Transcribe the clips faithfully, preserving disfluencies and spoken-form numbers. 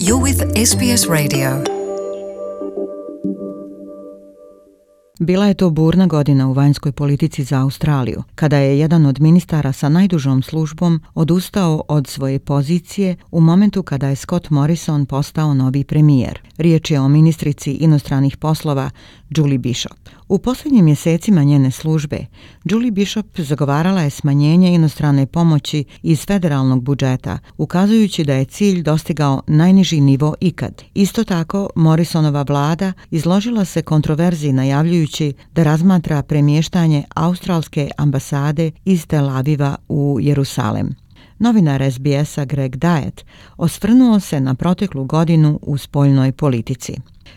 You're with S B S Radio. Bila je to burna godina u vanjskoj politici za Australiju, kada je jedan od ministara sa najdužom službom odustao od svoje pozicije u momentu kada je Scott Morrison postao novi premijer. Riječ je o ministrici inostranih poslova Julie Bishop. U posljednjim mjesecima njene službe, Julie Bishop zagovarala je smanjenje inostrane pomoći iz federalnog budžeta, ukazujući da je cilj dostigao najniži nivo ikad. Isto tako, Morrisonova vlada izložila se kontroverziji najavljujući da razmatra premještanje australske ambasade iz Tel Aviva u Jerusalem. Novinar S B S-a Greg Diet osvrnuo se na proteklu godinu u spoljnoj politici.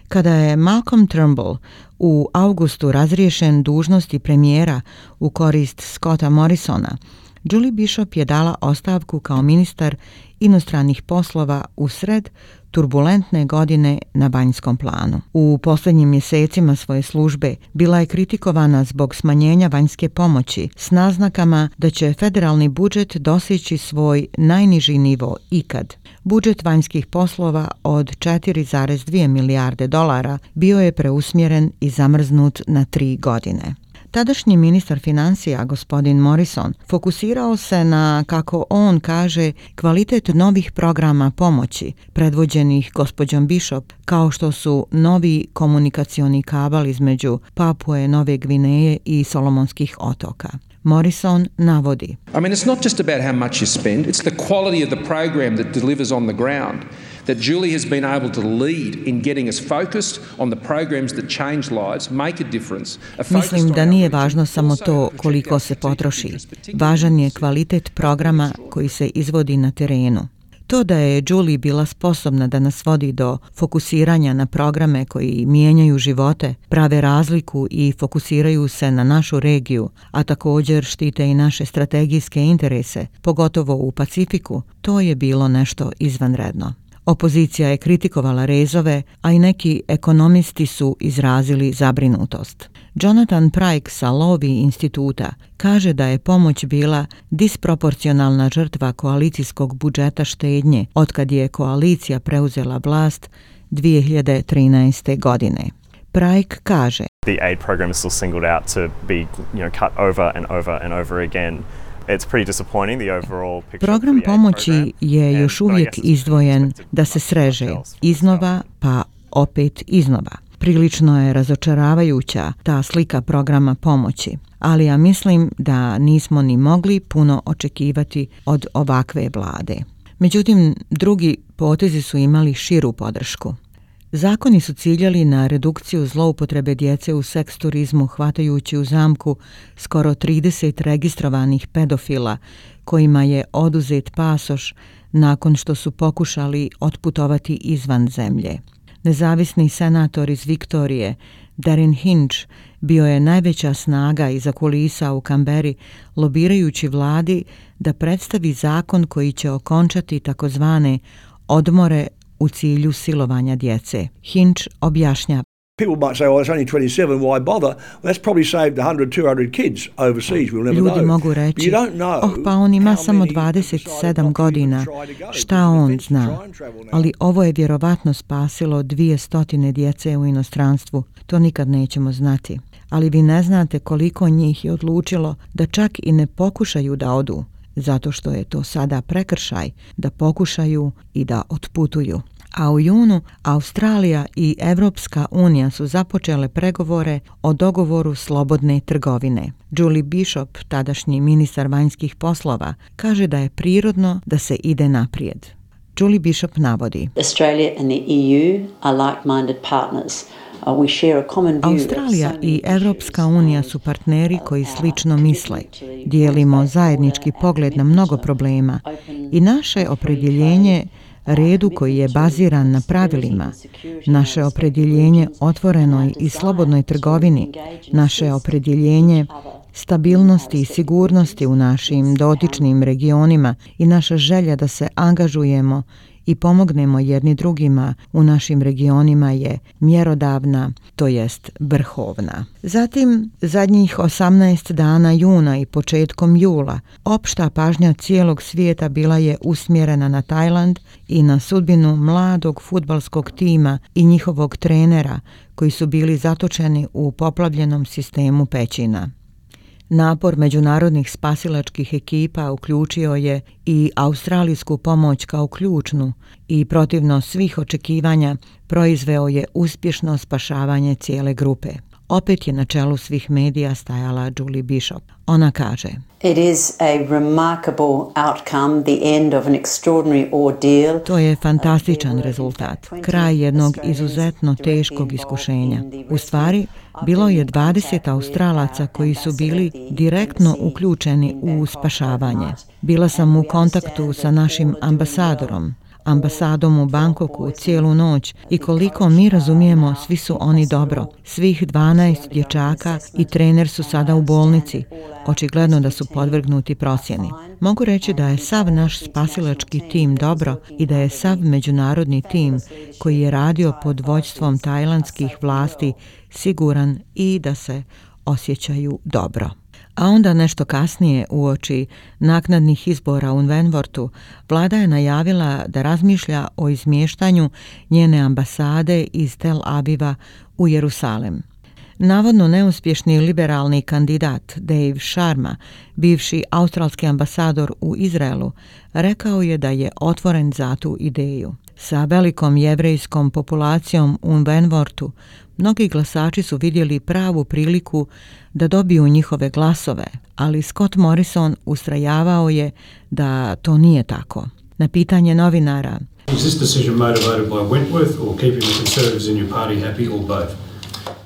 Kada je Malcolm Turnbull u augustu razriješen dužnosti premijera u korist Scotta Morrisona, Julie Bishop je dala ostavku kao ministar inostranih poslova u sred turbulentne godine na vanjskom planu. U posljednjim mjesecima svoje službe bila je kritikovana zbog smanjenja vanjske pomoći s naznakama da će federalni budžet doseći svoj najniži nivo ikad. Budžet vanjskih poslova od četiri zarez dvije milijarde dolara bio je preusmjeren i zamrznut na tri godine. Tadašnji ministar financija, gospodin Morrison, fokusirao se na, kako on kaže, kvalitet novih programa pomoći, predvođenih gospođom Bishop, kao što su novi komunikacioni kabel između Papue, Nove Gvineje i Solomonskih otoka. Morrison navodi: I mean, it's not just about how much you spend, it's the quality of the program that delivers on the ground. That Julie has been able to lead in getting us focused on the programs that change lives, make a difference. Mislim da nije važno samo to koliko se potroši. Važan je kvalitet programa koji se izvodi na terenu. To da je Julie bila sposobna da nas vodi do fokusiranja na programe koji mijenjaju živote, prave razliku i fokusiraju se na našu regiju, a također štite i naše strategijske interese, pogotovo u Pacifiku, to je bilo nešto izvanredno. Opozicija je kritikovala rezove, a i neki ekonomisti su izrazili zabrinutost. Jonathan Pryke sa Lowy instituta kaže da je pomoć bila disproporcionalna žrtva koalicijskog budžeta štednje otkad je koalicija preuzela vlast dvije hiljade trinaeste. godine. Pryke kaže: The aid program is still singled out to be, you know, cut over and over and over again. It's pretty disappointing, the overall picture. Program pomoći je još uvijek izdvojen da se sreže iznova pa opet iznova. Prilično je razočaravajuća ta slika programa pomoći, ali ja mislim da nismo ni mogli puno očekivati od ovakve vlade. Međutim, drugi potezi su imali širu podršku. Zakoni su ciljali na redukciju zloupotrebe djece u seks turizmu, hvatajući u zamku skoro trideset registrovanih pedofila kojima je oduzet pasoš nakon što su pokušali otputovati izvan zemlje. Nezavisni senator iz Viktorije, Darren Hinch, bio je najveća snaga iza kulisa u Kamberi, lobirajući vladi da predstavi zakon koji će okončati takozvane odmore u cilju silovanja djece. Hinch objašnjava: People might say, well, it's only twenty-seven, why bother? Well, that's probably saved one hundred, two hundred kids overseas, we'll never Ljudi know. mogu reći: oh, pa on ima samo dvadeset sedam godina, šta on zna? Ali ovo je vjerovatno spasilo dvije stotine djece u inostranstvu, to nikad nećemo znati. Ali vi ne znate koliko njih je odlučilo da čak i ne pokušaju da odu, zato što je to sada prekršaj da pokušaju i da otputuju. A u junu Australija i Evropska unija su započele pregovore o dogovoru slobodne trgovine. Julie Bishop, tadašnji ministar vanjskih poslova, kaže da je prirodno da se ide naprijed. Julie Bishop navodi: Australia and the E U are like-minded partners. Australija i Evropska unija su partneri koji slično misle. Dijelimo zajednički pogled na mnogo problema i naše opredjeljenje redu koji je baziran na pravilima, naše opredjeljenje otvorenoj i slobodnoj trgovini, naše opredjeljenje stabilnosti i sigurnosti u našim dotičnim regionima i naša želja da se angažujemo i pomognemo jedni drugima u našim regionima je mjerodavna, to jest vrhovna. Zatim, zadnjih osamnaest dana juna i početkom jula, opšta pažnja cijelog svijeta bila je usmjerena na Tajland i na sudbinu mladog fudbalskog tima i njihovog trenera koji su bili zatočeni u poplavljenom sistemu pećina. Napor međunarodnih spasilačkih ekipa uključio je i australijsku pomoć kao ključnu i protivno svih očekivanja proizveo je uspješno spašavanje cijele grupe. Opet je na čelu svih medija stajala Julie Bishop. Ona kaže: It is a remarkable outcome, the end of an extraordinary ordeal. To je fantastičan rezultat, kraj jednog izuzetno teškog iskušenja. U stvari, bilo je dvadeset Australaca koji su bili direktno uključeni u spašavanje. Bila sam u kontaktu sa našim ambasadorom, ambasadom u Bangkoku cijelu noć i koliko mi razumijemo, svi su oni dobro. Svih dvanaest dječaka i trener su sada u bolnici. Očigledno da su podvrgnuti procjeni. Mogu reći da je sav naš spasilački tim dobro i da je sav međunarodni tim koji je radio pod vođstvom tajlandskih vlasti siguran i da se osjećaju dobro. A onda nešto kasnije, uoči naknadnih izbora u Wentworthu, vlada je najavila da razmišlja o izmještanju njene ambasade iz Tel Aviva u Jerusalem. Navodno neuspješni liberalni kandidat Dave Sharma, bivši australski ambasador u Izraelu, rekao je da je otvoren za tu ideju. Sa velikom jevrejskom populacijom u Wentworthu, mnogi glasači su vidjeli pravu priliku da dobiju njihove glasove, ali Scott Morrison ustrajavao je da to nije tako. Na pitanje novinara: Is this decision motivated by Wentworth or keeping the Conservatives in your party happy or both?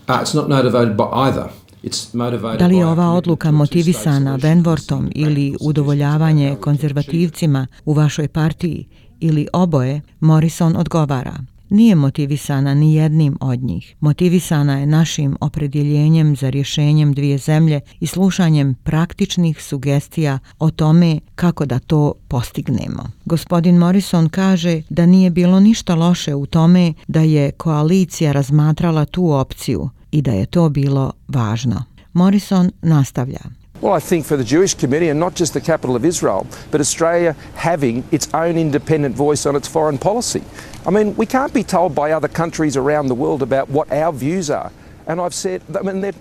Uh, it's not motivated by either. It's motivated Da li je by ova odluka motivisana Wentworthom ili udovoljavanje konzervativcima u vašoj partiji ili oboje? Morrison odgovara: nije motivisana ni jednim od njih. Motivisana je našim opredjeljenjem za rješenjem dvije zemlje i slušanjem praktičnih sugestija o tome kako da to postignemo. Gospodin Morrison kaže da nije bilo ništa loše u tome da je koalicija razmatrala tu opciju i da je to bilo važno. Morrison nastavlja: Well, I think for the Jewish community, and not just the capital of Israel, but Australia having its own independent voice on its foreign policy. I mean, we can't be told by other countries around the world about what our views are. And I've said, I mean, that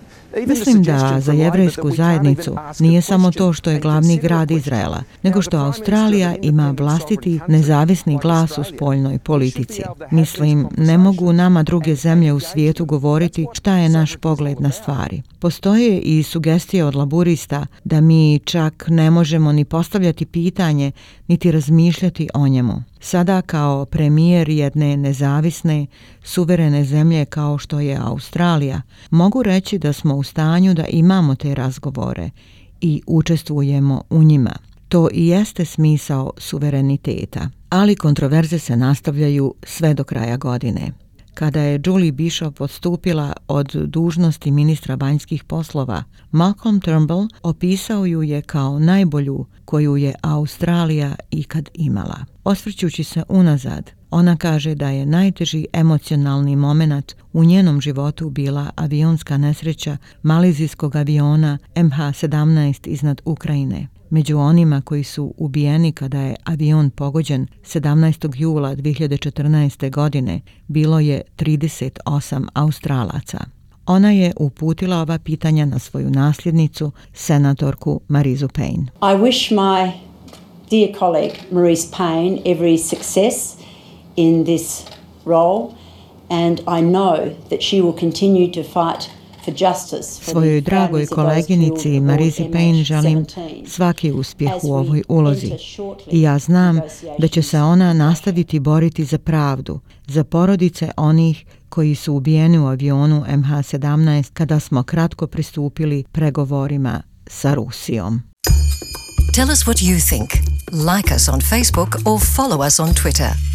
Mislim da za jevrejsku zajednicu nije samo to što je glavni grad Izraela, nego što Australija ima vlastiti nezavisni glas u spoljnoj politici. Mislim, ne mogu nama druge zemlje u svijetu govoriti šta je naš pogled na stvari. Postoje i sugestije od laburista da mi čak ne možemo ni postavljati pitanje, niti razmišljati o njemu. Sada kao premijer jedne nezavisne, suverene zemlje kao što je Australija, mogu reći da smo u stanju da imamo te razgovore i učestvujemo u njima. To i jeste smisao suvereniteta. Ali kontroverze se nastavljaju sve do kraja godine. Kada je Julie Bishop odstupila od dužnosti ministra vanjskih poslova, Malcolm Turnbull opisao ju je kao najbolju koju je Australija ikad imala. Osvrćući se unazad, ona kaže da je najteži emocionalni moment u njenom životu bila avionska nesreća malezijskog aviona M H sedamnaest iznad Ukrajine. Među onima koji su ubijeni kada je avion pogođen sedamnaestog jula dvije hiljade četrnaeste. godine bilo je trideset osam Australaca. Ona je uputila ova pitanja na svoju nasljednicu, senatorku Marizu Payne. I wish my dear colleague Marise Payne every success in this role, and I know that she will continue to fight for justice. Svojoj dragoj koleginici Marizi Payne želim svaki uspjeh u ovoj ulozi i ja znam da će se ona nastaviti boriti za pravdu, za porodice onih koji su ubijeni u avionu M H sedamnaest kada smo kratko pristupili pregovorima sa Rusijom. Tell us what you think. Like us on Facebook or follow us on Twitter.